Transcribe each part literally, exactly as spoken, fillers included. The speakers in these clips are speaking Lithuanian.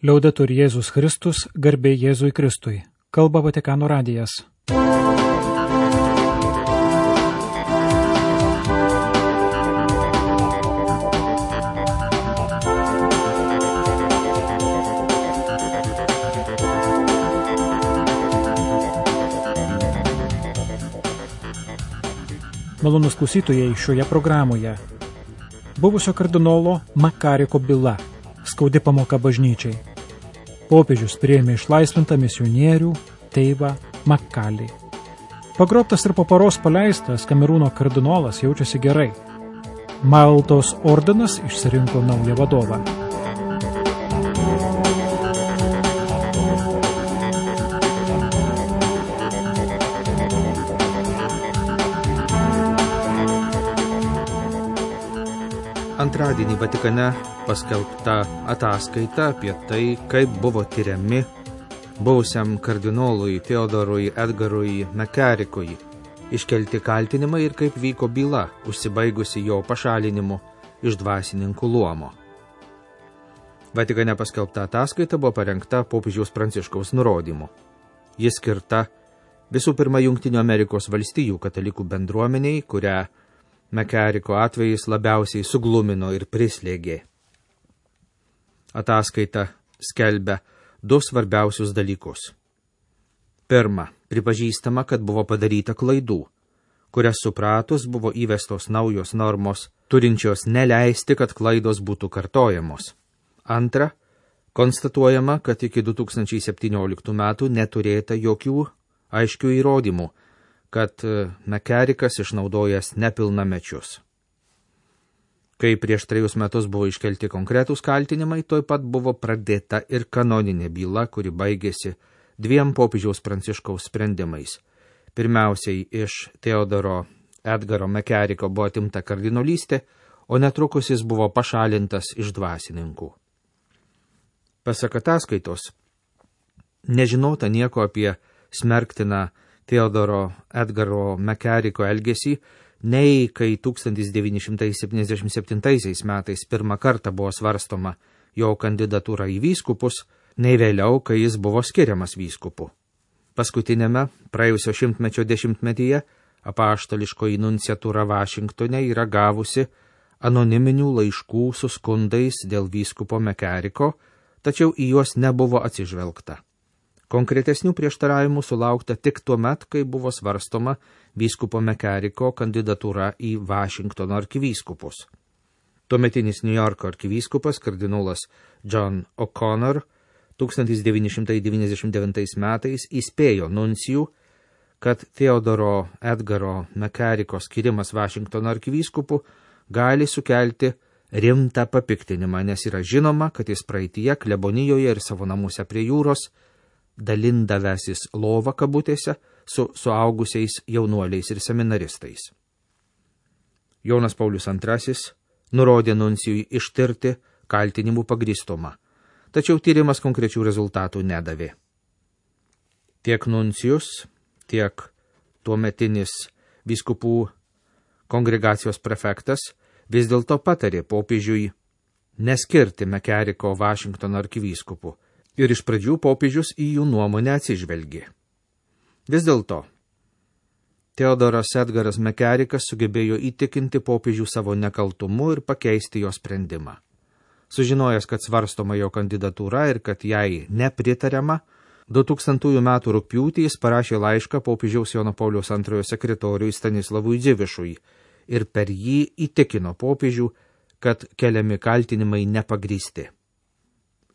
Liaudetur Jėzus Kristus, garbė Jėzui Kristui. Kalba Vatikano radijas. Malonus klausytojai, šioje programoje buvusio kardinolo Makariko byla, skaudi pamoka bažnyčiai. Popiežius priėmė išlaisvintą misionierių Teivą Makalį. Pagrobtas ir po paros paleistas Kamerūno kardinolas jaučiasi gerai. Maltos ordinas išsirinko naują vadovą. Antradienį Vatikane paskelbta ataskaita apie tai, kaip buvo tyriami buvusiam kardinolui Theodorui Edgarui Makarikui iškelti kaltinimai ir kaip vyko byla, užsibaigusi jo pašalinimu iš dvasininkų luomo. Vatikane paskelbta ataskaita buvo parengta popiežiaus Pranciškaus nurodymu. Ji skirta visų pirma Jungtinių Amerikos valstijų katalikų bendruomeniai, kurią Makariko atvejis labiausiai suglumino ir prislėgė. Ataskaita skelbia du svarbiausius dalykus. Pirma, pripažįstama, kad buvo padaryta klaidų, kurias supratus buvo įvestos naujos normos, turinčios neleisti, kad klaidos būtų kartojamos. Antra, konstatuojama, kad iki du tūkstančiai septynioliktų metų neturėta jokių aiškių įrodymų, kad Makarikas išnaudojęs nepilnamečius. Kai prieš trejus metus buvo iškelti konkretūs kaltinimai, toj pat buvo pradėta ir kanoninė byla, kuri baigėsi dviem popiežiaus Pranciškaus sprendimais. Pirmiausiai iš Theodoro Edgaro Makariko buvo atimta kardinolystė, o netrukus jis buvo pašalintas iš dvasininkų. Pasak ataskaitos, nežinota nieko apie smerktiną Theodoro Edgaro Makariko elgesį, nei kai tūkstantis devyni šimtai septyniasdešimt septintaisiais metais pirmą kartą buvo svarstoma jo kandidatūra į vyskupus, nei vėliau, kai jis buvo skiriamas vyskupu. Paskutinėme praėjusio šimtmečio dešimtmetyje apaštališkoji nunciatūra Vašingtone yra gavusi anoniminių laiškų su skundais dėl vyskupo Makariko, tačiau į juos nebuvo atsižvelgta. Konkretesnių prieštaravimų sulaukta tik tuo met, kai buvo svarstoma vyskupo Makariko kandidatūra į Vašingtono arkivyskupus. Tuometinis New Yorko arkivyskupas kardinolas John O'Connor tūkstantis devyni šimtai devyniasdešimt devintais metais įspėjo nuncijų, kad Theodoro Edgaro Makariko skirimas Vašingtono arkivyskupu gali sukelti rimtą papiktinimą, nes yra žinoma, kad jis praeityje klebonijoje ir savo namuose prie jūros dalindavęsis lovą kabutėse su suaugusiais jaunuoliais ir seminaristais. Jonas Paulius antrasis nurodė nuncijui ištirti kaltinimų pagrįstumą, tačiau tyrimas konkrečių rezultatų nedavė. Tiek nuncijus, tiek tuometinis vyskupų kongregacijos prefektas vis dėlto patarė popiežiui neskirti Makariko Vašingtono arkivyskupu, ir iš pradžių popiežius į jų nuomonę atsižvelgė. Vis dėlto, Theodoras Edgaras Makarikas sugebėjo įtikinti popiežių savo nekaltumu ir pakeisti jo sprendimą. Sužinojęs, kad svarstoma jo kandidatūra ir kad jai nepritariama, du tūkstantųjų metų rugpjūtį jis parašė laišką popiežiaus Jono Pauliaus antrojo sekretoriui Stanislavui Dzivišui ir per jį įtikino popiežių, kad keliami kaltinimai nepagrįsti.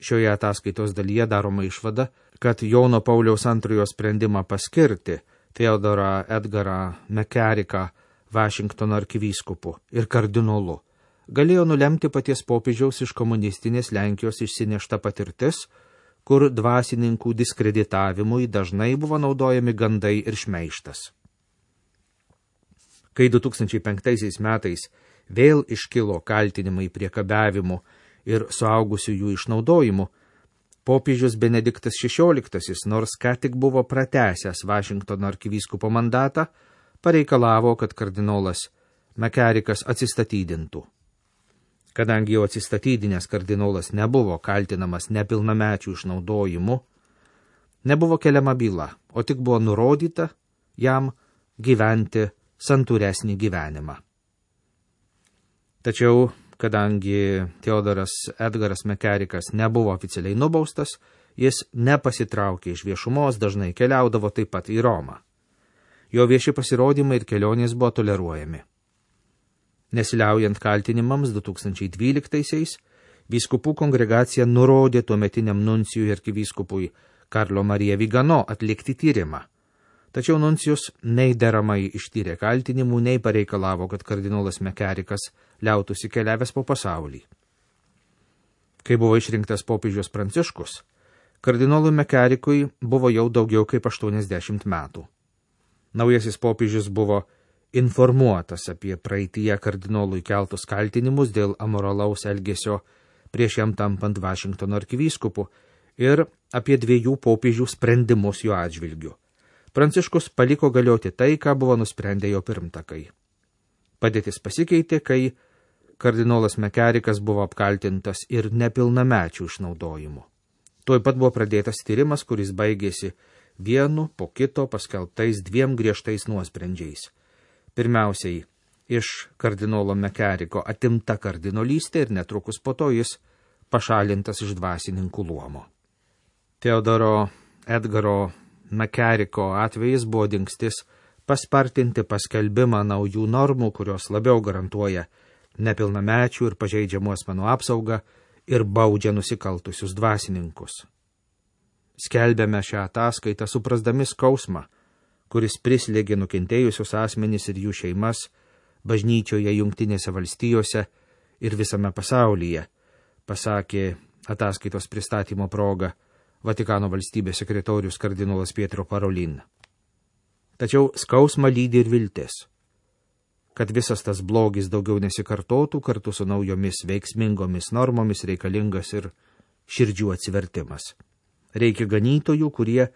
Šioje ataskaitos dalyje daroma išvada, kad Jono Pauliaus antrojo sprendimą paskirti Theodorą Edgarą Makariką Vašingtono arkivyskupu ir kardinolu galėjo nulemti paties popiežiaus iš komunistinės Lenkijos išsinešta patirtis, kur dvasininkų diskreditavimui dažnai buvo naudojami gandai ir šmeižtas. Kai du tūkstančiai penktaisiais metais vėl iškilo kaltinimai priekabiavimu ir suaugusiųjų išnaudojimu, popiežius Benediktas šešioliktasis, nors ką tik buvo pratęsęs Vašingtono arkivyskupo mandatą, pareikalavo, kad kardinolas Makarikas atsistatydintų. Kadangi jau atsistatydinęs kardinolas nebuvo kaltinamas nepilnamečių išnaudojimu, nebuvo keliama byla, o tik buvo nurodyta jam gyventi santūresnį gyvenimą. Tačiau, kadangi Teodoras Edgaras Mekerikas nebuvo oficialiai nubaustas, jis nepasitraukė iš viešumos, dažnai keliaudavo taip pat į Romą. Jo vieši pasirodymai ir kelionės buvo toleruojami. Nesiliaujant kaltinimams du tūkstančiai dvyliktaisiais, vyskupų kongregacija nurodė tuometiniam nuncijui arkivyskupui Karlo Marija Vigano atlikti tyrimą. Tačiau nuncijus nei deramai ištyrė kaltinimų, nei pareikalavo, kad kardinolas Mekerikas liautųsi keliavęs po pasaulį. Kai buvo išrinktas popiežius Pranciškus, kardinolui Mekerikui buvo jau daugiau kaip aštuoniasdešimt metų. Naujasis popiežius buvo informuotas apie praeityje kardinolui keltus kaltinimus dėl amoralaus elgesio prieš jam tampant Vašingtono arkivyskupu ir apie dviejų popiežių sprendimus jo atžvilgiu. Pranciškus paliko galioti tai, ką buvo nusprendę jo pirmtakai. Padėtis pasikeitė, kai kardinolas Mekerikas buvo apkaltintas ir nepilnamečių išnaudojimu. Tuoj pat buvo pradėtas tyrimas, kuris baigėsi vienu po kito paskelbtais dviem griežtais nuosprendžiais. Pirmiausiai, iš kardinolo Mekeriko atimta kardinolystė ir netrukus po to jis pašalintas iš dvasininkų luomo. Teodoro Edgaro Mekeriko atvejis buvo dingstis paspartinti paskelbimą naujų normų, kurios labiau garantuoja nepilnamečių ir pažeidžiamų asmenų apsaugą ir baudžia nusikaltusius dvasininkus. Skelbėme šią ataskaitą suprasdami skausmą, kuris prislėgė nukentėjusius asmenys ir jų šeimas bažnyčioje Jungtinėse valstijose ir visame pasaulyje, pasakė ataskaitos pristatymo proga Vatikano valstybės sekretorius kardinolas Pietro Parolin. Tačiau skausmą lydi ir viltis, kad visas tas blogis daugiau nesikartotų, kartu su naujomis veiksmingomis normomis reikalingas ir širdžių atsivertimas. Reikia ganytojų, kurie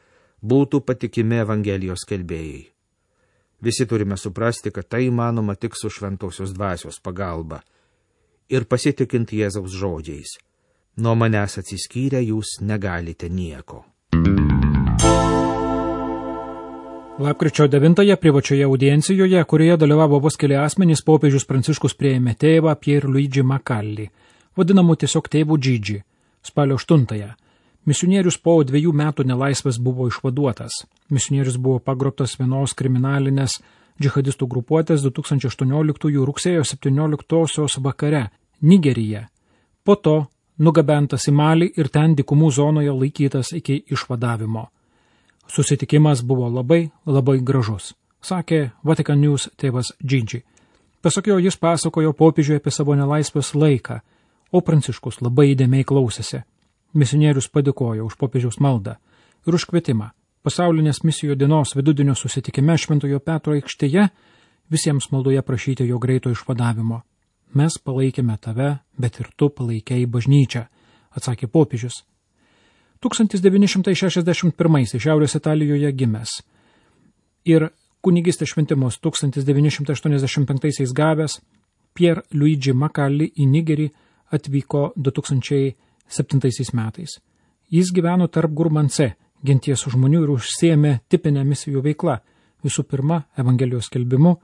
būtų patikimi Evangelijos skelbėjai. Visi turime suprasti, kad tai įmanoma tik su šventosios dvasios pagalba ir pasitikint Jėzaus žodžiais. Nuo manęs atsiskyrę jūs negalite nieko. Lapkričio devintąją privačioje audiencijoje, kurioje dalyvavo vos keli asmenys, popiežius Pranciškus priėmė tėvą Pier Luigi Macalli, vadinamų tiesiog tėvų Džidži, spalio aštuntąją. Misionierius po dviejų metų nelaisvės buvo išvaduotas. Misionierius buvo pagrobtas vienos kriminalinės džihadistų grupuotės du tūkstančiai aštuonioliktųjų rugsėjo septynioliktosios vakare Nigerija. Po to nugabentas į Malį ir ten dykumų zonoje laikytas iki išvadavimo. Susitikimas buvo labai, labai gražus, sakė Vatican News tėvas Džidži. Pasak jo, jis pasakojo popiežiui apie savo nelaisvės laiką, o Pranciškus labai įdėmiai klausėsi. Misionierius padėkojo už popiežiaus maldą ir už kvietimą. Pasaulinės misijų dienos vidudienio susitikime Šventojo Petro aikštėje visiems maldoje prašyti jo greito išvadavimo. Mes palaikėme tave, bet ir tu palaikei bažnyčią, atsakė popiežius. tūkstantis devyni šimtai šešiasdešimt pirmaisiais Šiaurės Italijoje gimęs ir kunigystės šventimus tūkstantis devyni šimtai aštuoniasdešimt penktaisiais gavęs, Pier Luigi Macalli į Nigerį atvyko du tūkstančiai septintaisiais metais. Jis gyveno tarp Gurmance, genties žmonių ir užsiėmė tipinę misijų veiklą, visų pirma, Evangelijos skelbimu,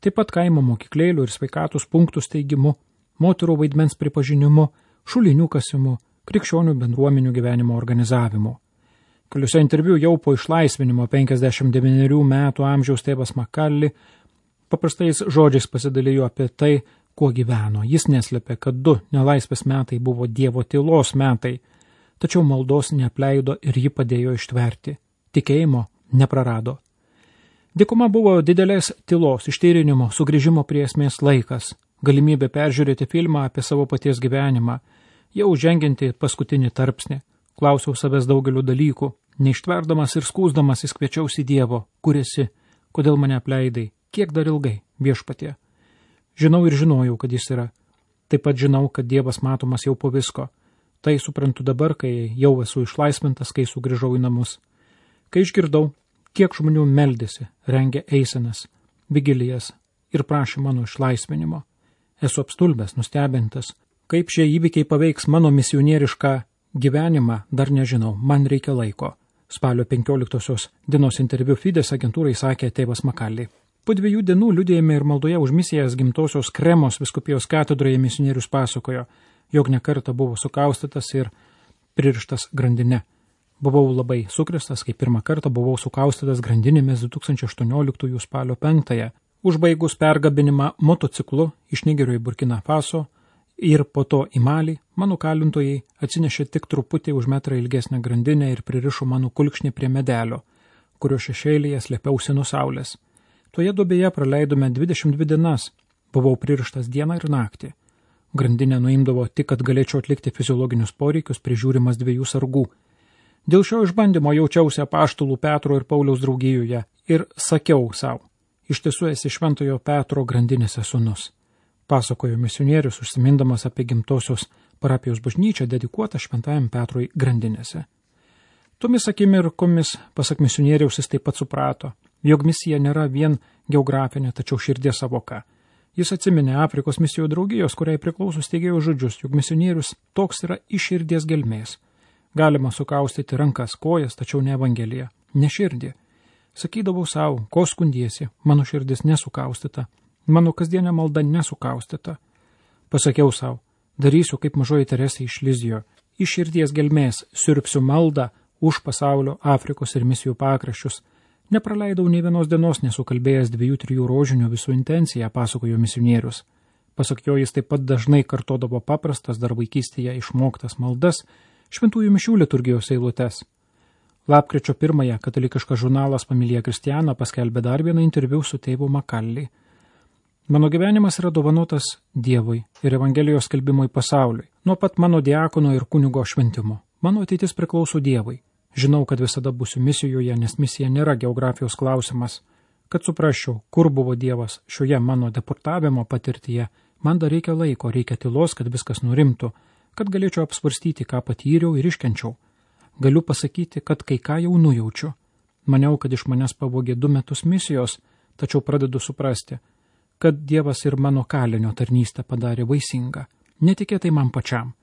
taip pat kaimo mokyklėlių ir sveikatos punktų steigimu, moterų vaidmens pripažinimu, šulinių kasimu, krikščionių bendruomenių gyvenimo organizavimu. Keliuose interviu jau po išlaisvinimo penkiasdešimt devynerių metų amžiaus tėvas Macalli paprastais žodžiais pasidalijo apie tai, kuo gyveno. Jis neslėpė, kad du nelaisvės metai buvo Dievo tylos metai, tačiau maldos neapleido ir ji padėjo ištverti. Tikėjimo neprarado. Dykuma buvo didelės tylos, ištyrinimo, sugrįžimo prie esmės laikas, galimybė peržiūrėti filmą apie savo paties gyvenimą, jau žengianti paskutinį tarpsnį. Klausiau savęs daugeliu dalykų, neištverdamas ir skūsdamas įskviečiausi Dievo, kur esi, kodėl mane apleidai, kiek dar ilgai, viešpatie. Žinau ir žinojau, kad jis yra. Taip pat žinau, kad Dievas matomas jau po visko. Tai suprantu dabar, kai jau esu išlaisvintas, kai sugrįžau į namus. Kai išgirdau, kiek žmonių meldėsi, rengė eisenas, vigilijas ir prašė mano išlaisvinimo. Esu apstulbęs, nustebintas, Kaip šie įvykiai paveiks mano misionierišką gyvenimą, dar nežinau, man reikia laiko. Spalio penkioliktosios dienos interviu Fides agentūrai sakė tėvas Makalli. Po dviejų dienų liudijime ir maldoje už misijas gimtosios Kremos vyskupijos katedroje misionierius pasakojo, jog nekartą buvo sukaustytas ir pririštas grandine. Buvau labai sukristas, kai pirmą kartą buvau sukaustytas grandinėmis du tūkstančiai aštuonioliktųjų spalio penktąją, užbaigus pergabinimą motociklu iš Nigerio į Burkina Faso ir po to į Malį, mano kalintojai atsinešė tik truputį už metrą ilgesnę grandinę ir pririšo mano kulkšnį prie medelio, kurio šešėlyje slėpiausi nuo saulės. Toje duobėje praleidome dvidešimt dvi dienas, buvau pririštas dieną ir naktį. Grandinę nuimdavo tik, kad galėčiau atlikti fiziologinius poreikius, prižiūrimas dviejų sargų. Dėl šio išbandymo jaučiausi apaštalų Petro ir Pauliaus draugijoje ir sakiau savo, iš tiesų esi Šventojo Petro grandinėse sūnus. Pasakojo misionierius, užsimindamas apie gimtosios parapijos bažnyčią dedikuotą Šventajam Petrui grandinėse. Tomis akimirkomis, pasak misionieriaus, jis taip pat suprato, jog misija nėra vien geografinė, tačiau širdies savoka. Jis atsiminė Afrikos misijų draugijos, kuriai priklauso steigėjo žodžius, jog misionierius toks yra iš širdies gelmės. Galima sukaustyti rankas, kojas, tačiau ne Evangelija, ne širdį. Sakydavau savo, ko skundiesi, mano širdis nesukaustyta, mano kasdienė malda nesukaustyta. Pasakiau savo, darysiu kaip mažoji Teresė iš Lizijo, iš širdies gelmės siurbsiu maldą už pasaulio, Afrikos ir misijų pakraščius. Nepraleidau nei vienos dienos nesukalbėjęs dviejų trijų rožinių visų intenciją, pasakojo misionierius. Pasak jo, jis taip pat dažnai kartodavo paprastas dar vaikystėje išmoktas maldas, šventųjų mišių liturgijos eilutes. Lapkričio pirmąją katalikiškas žurnalas Familija Kristiana paskelbė dar vieną interviu su tėvu Makalli. Mano gyvenimas yra dovanotas Dievui ir Evangelijos skelbimui pasauliui, nuo pat mano diakono ir kunigo šventimo. Mano ateitis priklauso Dievui. Žinau, kad visada būsiu misijoje, nes misija nėra geografijos klausimas. Kad suprasčiau, kur buvo Dievas šioje mano deportavimo patirtyje, man dar reikia laiko, reikia tylos, kad viskas nurimtų, kad galėčiau apsvarstyti, ką patyriau ir iškenčiau. Galiu pasakyti, kad kai ką jau nujaučiu. Maniau, kad iš manęs pavogė du metus misijos, tačiau pradedu suprasti, kad Dievas ir mano kalinio tarnystę padarė vaisingą. Netikėtai man pačiam,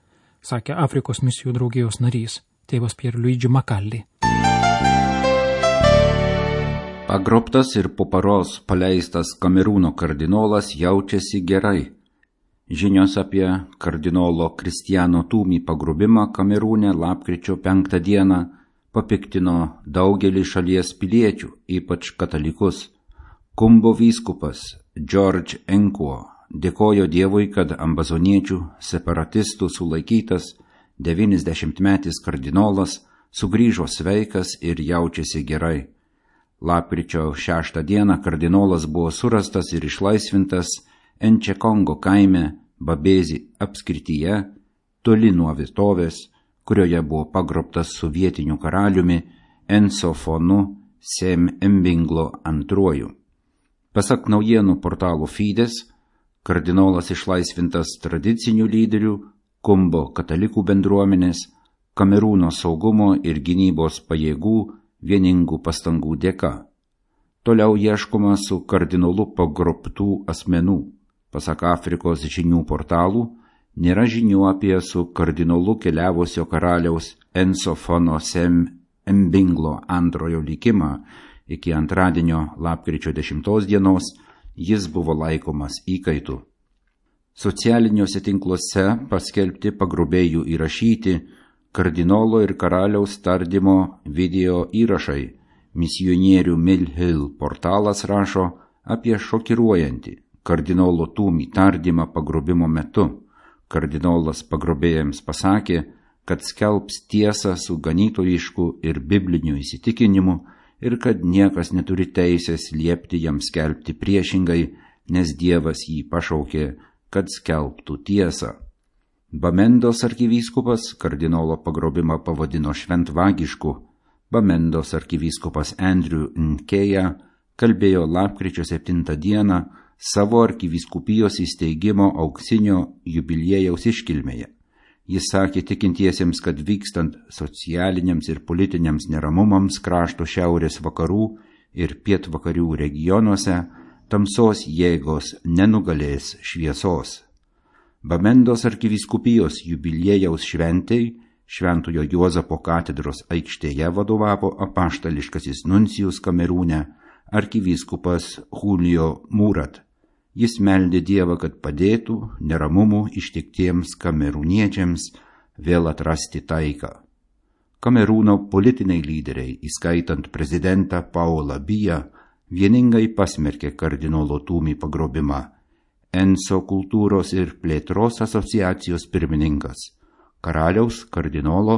sakė Afrikos misijų draugijos narys, tėvas Pierluigi Makalli. Pagrobtas ir po paros paleistas Kamerūno kardinolas jaučiasi gerai. Žinios apie kardinolo Kristiano Tumi pagrobimą Kamerūne lapkričio penktą dieną papiktino daugelį šalies piliečių, ypač katalikus. Kumbo vyskupas George Enkuo dėkojo Dievui, kad ambazoniečių separatistų sulaikytas devyniasdešimtmetis kardinolas sugrįžo sveikas ir jaučiasi gerai. Lapkričio šeštą dieną kardinolas buvo surastas ir išlaisvintas Enčekongo kaime Babezi apskrityje, toli nuo vietovės, kurioje buvo pagrobtas su vietiniu karaliumi Ensofonu Sem Mbinglo antruoju. Pasak naujienų portalo Fides, kardinolas išlaisvintas tradicinių lyderių, Kumbo katalikų bendruomenės, Kamerūno saugumo ir gynybos pajėgų vieningų pastangų dėka. Toliau ieškoma su kardinolu pagrobtų asmenų. Pasak Afrikos žinių portalų, nėra žinių apie su kardinolu keliavusio karaliaus Ensofono Sem Mbinglo antrojo likimą. Iki antradienio lapkričio dešimtos dienos jis buvo laikomas įkaitu. Socialiniuose tinkluose paskelbti pagrobėjų įrašyti kardinolo ir karaliaus tardymo video įrašai. Misionierių Mill Hill portalas rašo apie šokiruojantį kardinolo Tumi tardymą pagrobimo metu. Kardinolas pagrobėjams pasakė, kad skelbs tiesą su ganytojišku ir bibliniu įsitikinimu ir kad niekas neturi teisės liepti jam skelbti priešingai, nes Dievas jį pašaukė, kad skelbtų tiesą. Bamendos arkivyskupas kardinolo pagrobimą pavadino šventvagišku. Bamendos arkivyskupas Andrew Nkeja kalbėjo lapkričio septintą dieną savo arkivyskupijos įsteigimo auksinio jubiliejaus iškilmėje. Jis sakė tikintiesiems, kad vykstant socialiniams ir politiniams neramumams krašto šiaurės vakarų ir pietvakarių regionuose, tamsos jėgos nenugalės šviesos. Bamendos arkivyskupijos jubiliejaus šventei Šventojo Juozapo katedros aikštėje vadovavo apaštališkasis nuncijus Kamerūne arkivyskupas Julio Murat. Jis meldė Dievą, kad padėtų neramumų ištiktiems kamerūniečiams vėl atrasti taiką. Kamerūno politiniai lyderiai, įskaitant prezidentą Paulą Biją, vieningai pasmerkė kardinolo Tumi pagrobimą. Enso kultūros ir plėtros asociacijos pirmininkas karaliaus, kardinolo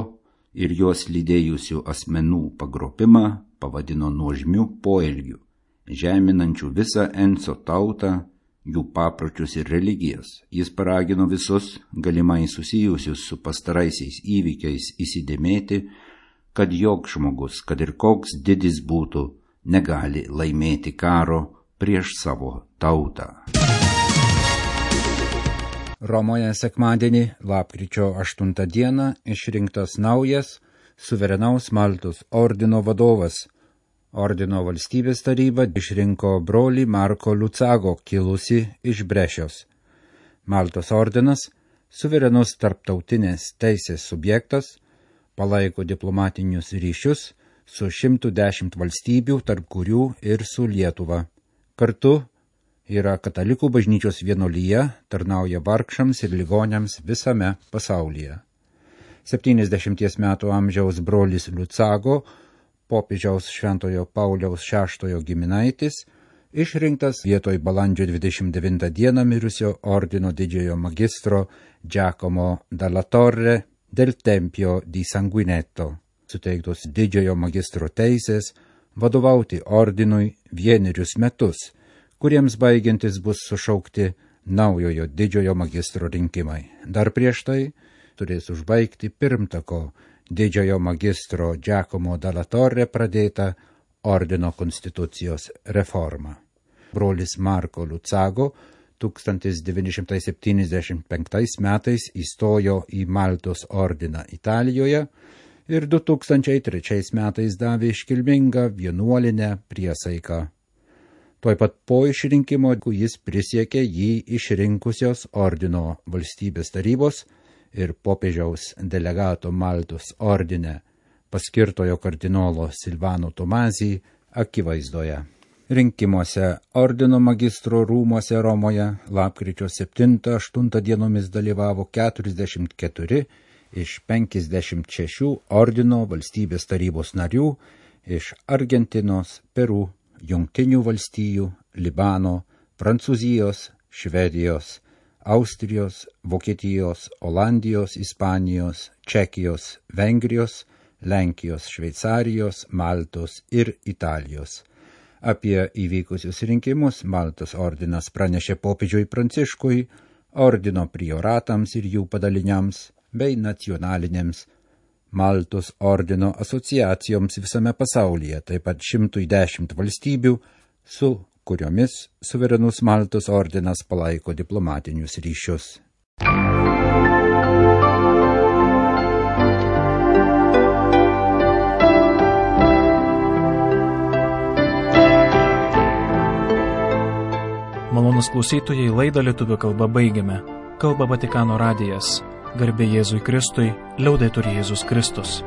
ir juos lydėjusių asmenų pagrobimą pavadino nuožmiu poelgiu, žeminančiu visą Enso tautą, jų papročius ir religijas. Jis paragino visus galimai susijusius su pastaraisiais įvykiais įsidėmėti, kad joks žmogus, kad ir koks didis būtų, negali laimėti karo prieš savo tautą. Romoje sekmadienį, lapkričio aštuntą dieną, išrinktas naujas suverenaus Maltos ordino vadovas. Ordino valstybės taryba išrinko brolį Marko Lucago, kilusi iš Brešios. Maltos ordinas, suverenus tarptautinės teisės subjektas, palaiko diplomatinius ryšius su šimtu dešimt valstybių, tarp kurių ir su Lietuva. Kartu yra katalikų bažnyčios vienuolija, tarnauja vargšams ir ligoniams visame pasaulyje. septyniasdešimties metų amžiaus brolis Lucago, popiežiaus Šventojo Pauliaus šeštojo giminaitis, išrinktas vietoj balandžio dvidešimt devintą dieną mirusio ordino didžiojo magistro Giacomo dalla Torre del Tempio di Sanguinetto, suteiktos didžiojo magistro teisės vadovauti ordinui vienerius metus, kuriems baigiantis bus sušaukti naujojo didžiojo magistro rinkimai. Dar prieš tai turės užbaigti pirmtako didžiojo magistro Giacomo dalla Torre pradėtą ordino konstitucijos reformą. Brolis Marko Lucago tūkstantis devyni šimtai septyniasdešimt penktais metais įstojo į Maltos ordiną Italijoje ir du tūkstančiai trečiais metais davė iškilmingą vienuolinę priesaiką. Tuoj pat po išrinkimo jis prisiekė jį išrinkusios ordino valstybės tarybos ir popiežiaus delegato Maltos ordine paskirtojo kardinolo Silvano Tomazį akivaizdoje. Rinkimuose ordino magistro rūmuose Romoje lapkričio septintą aštuntą dienomis dalyvavo keturiasdešimt keturi iš penkiasdešimt šešių ordino valstybės tarybos narių iš Argentinos, Peru, Jungtinių valstijų, Libano, Prancūzijos, Švedijos, Austrijos, Vokietijos, Olandijos, Ispanijos, Čekijos, Vengrijos, Lenkijos, Šveicarijos, Maltos ir Italijos. Apie įvykusius rinkimus Maltos ordinas pranešė popiežiui Pranciškui, ordino prioratams ir jų padaliniams bei nacionalinėms Maltos ordino asociacijoms visame pasaulyje, taip pat šimtui dešimt valstybių, su kuriomis suverenus Maltos ordinas palaiko diplomatinius ryšius. Malonus klausytojai, laidą lietuvių kalba baigiame. Kalba Vatikano radijas. Garbė Jėzui Kristui, liaudetur Jėzus Kristus.